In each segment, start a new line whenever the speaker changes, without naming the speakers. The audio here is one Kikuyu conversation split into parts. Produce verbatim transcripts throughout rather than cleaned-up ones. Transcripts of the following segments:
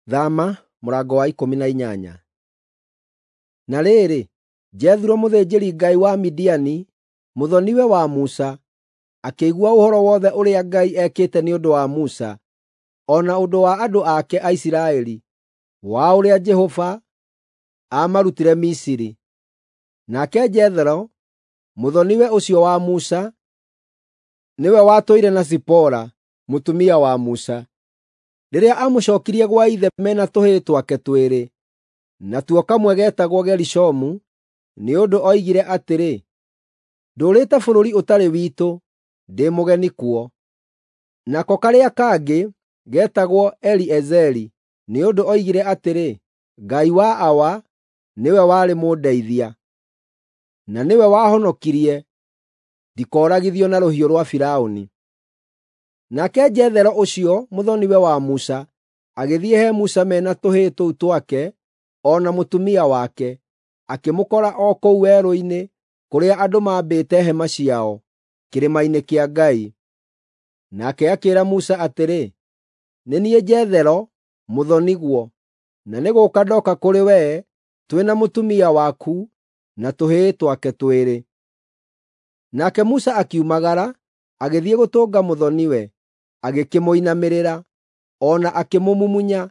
Thama mũrango wa ikũmi na inyanya. Na rĩrĩ, Jethuro mũthĩnjĩri-Ngai wa Midiani, mũthoni-we wa Musa, akĩigua ũhoro wothe ũrĩa Ngai ekĩte nĩ ũndũ wa Musa, o na ũndũ wa andũ ake a Isiraeli, wa ũrĩa Jehova aamarutire Misiri. Nake Jethero, mũthoni-we ũcio wa Musa, nĩwe watũire na Zipora, mũtumia wa Musa. Rĩrĩa aamũcookirie gwa ithe me na tũhĩĩ twake twĩrĩ, natuo kamwe geetagwo Gerishomu, nĩ ũndũ oigire atĩrĩ, “Ndũũrĩte bũrũri ũtarĩ witũ, ndĩ mũgeni kuo.” Nako karĩa kangĩ geetagwo Eliezeri, nĩ ũndũ oigire atĩrĩ, “Ngai wa Awa nĩwe warĩ mũndeithia, na nĩwe wahonokirie ndikooragithio na rũhiũ rwa Firaũni.” Nake Jethero ũcio mũthoni-we wa Musa agĩthiĩ he Musa me na tũhĩĩ tũu twake o na mũtumia wake, akĩmũkora o kũu werũ-inĩ kũrĩa andũ maambĩte hema ciao, kĩrĩma-inĩ kĩa Ngai. Nake akĩĩra Musa atĩrĩ, “Nĩ niĩ Jethero, mũthoni-guo, na nĩ gũũka ndooka kũrĩ wee twĩ na mũtumia waku na tũhĩĩ twake twĩrĩ.” Nake Musa akiumagara, agĩthiĩ gũtũnga mũthoni-we, agĩkĩmũinamĩrĩra, o na akĩmũmumunya.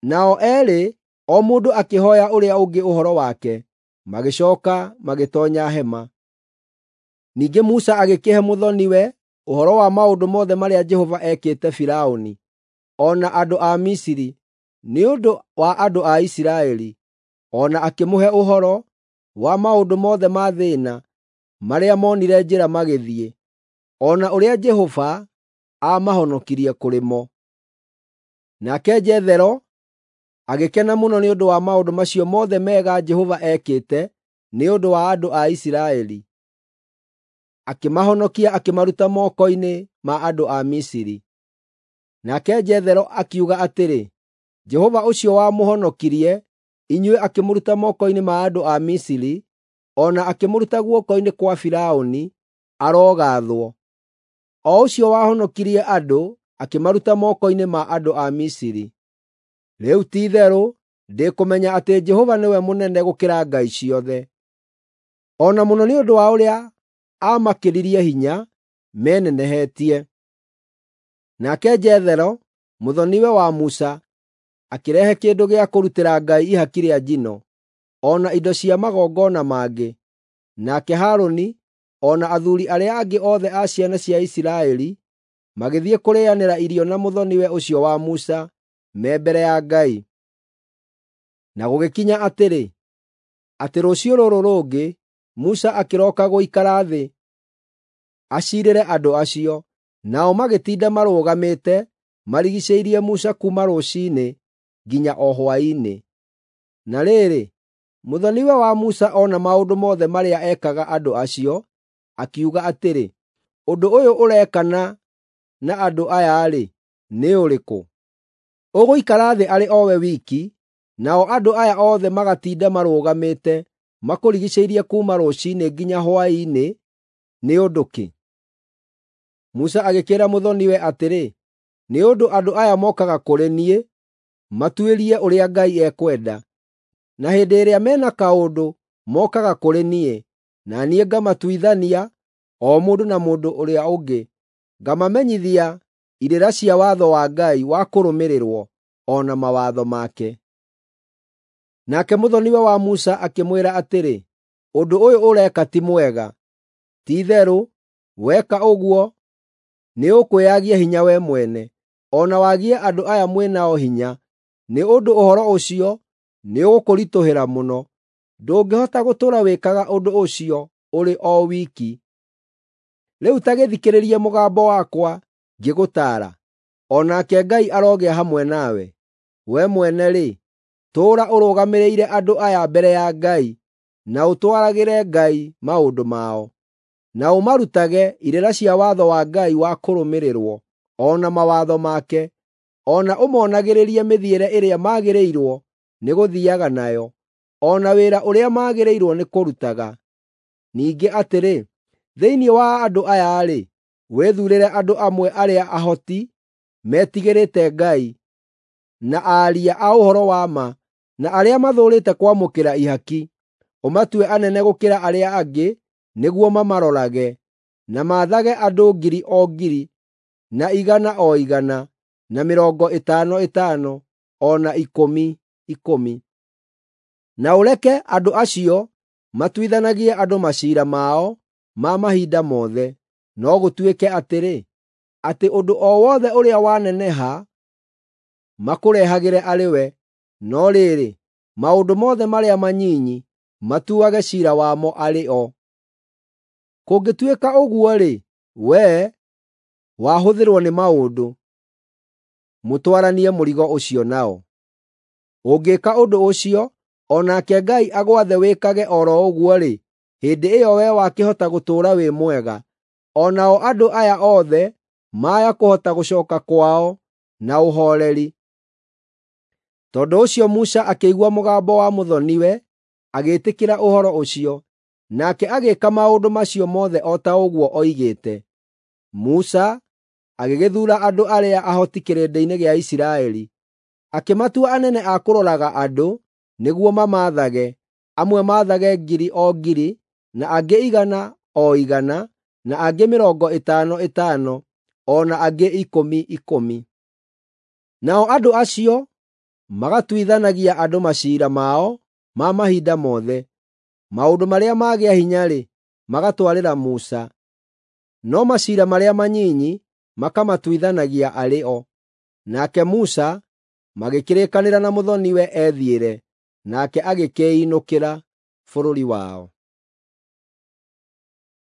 Nao eerĩ o mũndũ akĩhooya ũrĩa ũngĩ ũhoro wake, magĩcooka magĩtoonya hema. Ningĩ Musa agĩkĩhe mũthoni-we ũhoro wa maũndũ mothe marĩa Jehova ekĩte Firaũni, o na andũ a Misiri, nĩ ũndũ wa andũ a Isiraeli, o na akĩmũhe ũhoro wa maũndũ mothe ma thĩĩna marĩa moonire njĩra magĩthiĩ, o na ũrĩa Jehova aamahonokirie kũrĩ mo. Nake Jethero agĩkena mũno nĩ ũndũ wa maũndũ macio mothe mega Jehova ekĩte nĩ ũndũ wa andũ a Isiraeli, akĩmahonokia akĩmaruta moko-inĩ ma andũ a Misiri. Nake Jethero akiuga atĩrĩ, “Jehova ũcio wamũhonokirie inyuĩ akĩmũruta moko-inĩ ma andũ a Misiri, o na akĩmũruta guoko-inĩ kwa Firaũni, arogaathwo. O ũcio wahonokirie andũ akĩmaruta moko-inĩ ma andũ a Misiri.” Rĩu ti-itherũ ndĩkũmenya atĩ Jehova nĩwe mũnene gũkĩra ngai ciothe, o na mũno nĩ ũndũ wa ũrĩa aamakĩririe hinya menenehetie. Nake Jethero, mũthoni-we wa Musa, akĩrehe kĩndũ gĩa kũrutĩra Ngai ihaki rĩa njino, o na indo cia magongona mangĩ. Nake Harũni o na athuuri arĩa angĩ othe a ciana cia Isiraeli magĩthiĩ kũrĩanĩra irio na mũthoni-we ũcio wa Musa me mbere ya Ngai. Na gũgĩkinya atĩrĩ, atĩ rũciũ rũrũ rũngĩ Musa akĩroka gũikara thĩ aciirĩre andũ acio, nao magĩtinda marũgamĩte marigiicĩirie Musa kuuma rũciinĩ nginya o hwaĩ-inĩ. Na rĩrĩ, mũthoni-we wa Musa ona maũndũ mothe marĩa ekaga andũ acio, akiuga atĩrĩ, “Ũndũ ũyũ ũrekana na andũ aya-rĩ, nĩ ũrĩkũ? Ũgũikara thĩ arĩ o we wiki, nao andũ aya othe magatinda marũgamĩte makũrigiicĩirie kuuma rũciinĩ nginya hwaĩ-inĩ nĩ ũndũ kĩ?” Musa agĩkĩĩra mũthoni-we atĩrĩ, “Nĩ ũndũ andũ aya mokaga kũrĩ niĩ matuĩrie ũrĩa Ngai ekwenda. Na hĩndĩ ĩrĩa me na kaũndũ mokaga kũrĩ niĩ, na niĩ ngamatuithania o mũndũ na mũndũ ũrĩa ũngĩ, ngamamenyithia irĩra cia watho wa Ngai wa kũrũmĩrĩrwo, o na mawatho make.” Nake mũthoni-we wa Musa akĩmwĩra atĩrĩ, “Ũndũ ũyũ ũreka ti mwega. Ti-itherũ weka ũguo nĩũkwĩyagia hinya wee mwene, o na wagie andũ aya mwĩ nao hinya, nĩ ũndũ ũhoro ũcio nĩũgũkũritũhĩra mũno. Ndũngĩhota gũtũũra wĩkaga ũndũ ũcio ũrĩ o wiki. Rĩu ta gĩthikĩrĩrie mũgambo wakwa ngĩgũtaara, o nake Ngai arogĩa hamwe nawe. Wee mwene-rĩ, tũũra ũrũgamĩrĩire andũ aya mbere ya Ngai, na ũtwaragĩre Ngai maũndũ mao, na ũmarutage irĩra cia watho wa Ngai wa kũrũmĩrĩrwo, o na mawatho make, o na ũmonagĩrĩrie mĩthiĩre ĩrĩa magĩrĩirwo nĩ gũthiiaga nayo, o na wĩra ũrĩa magĩrĩirwo nĩ kũrutaga. Ningĩ atĩrĩ, thĩinĩ wa andũ aya-rĩ, wĩthuurĩre andũ amwe arĩa ahoti, metigĩrĩte Ngai, na aaria a ũhoro wa ma, na arĩa mathũũrĩte kwamũkĩra ihaki. Ũmatue anene gũkĩra arĩa angĩ nĩguo mamarorage, na maathage andũ ngiri o ngiri, na igana o igana, na mĩrongo ĩtano ĩtano, o na ikũmi ikũmi. Na ũreke andũ acio matuithanagie andũ maciira mao ma mahinda mothe. No gũtuĩke atĩrĩ, atĩ ũndũ o wothe ũrĩa waneneha makũrehagĩre arĩ we, no rĩrĩ, maũndũ mothe marĩa manyinyi matuage ciira wamo arĩ o. Kũngĩtuĩka ũguo-rĩ, wee wahũthĩrwo nĩ maũndũ, mũtwaranie mũrigo ũcio nao. Ũngĩka ũndũ ũcio, o nake Ngai agwathe wĩkage o ro ũguo-rĩ, hĩndĩ ĩyo wee wakĩhota gũtũũra wĩ mwega, o nao andũ aya othe maya kũhota gũcooka kwao na ũhooreri. Tondũ ũcio Musa akĩigua mũgambo wa mũthoni-we, agĩĩtĩkĩra ũhoro ũcio, nake agĩĩka maũndũ macio mothe o ta ũguo oigĩte. Musa agĩgĩthuura andũ arĩa ahoti kĩrĩndĩ-inĩ gĩa Isiraeli, akĩmatua anene a kũroraga andũ nĩguo mamaathage, amwe maathage ngiri o ngiri, na angĩ igana o igana, na angĩ mĩrongo ĩtano ĩtano, o na angĩ ikũmi ikũmi. Nao andũ acio magatuithanagia andũ maciira mao ma mahinda mothe. Maũndũ marĩa magĩa hinya-rĩ, magatwarĩra Musa, no maciira marĩa manyinyi makamatuithanagia arĩ o. Nake Musa magĩkĩrĩkanĩra na mũthoni-we ethiĩre, nake agĩkĩĩinũkĩra bũrũri wao.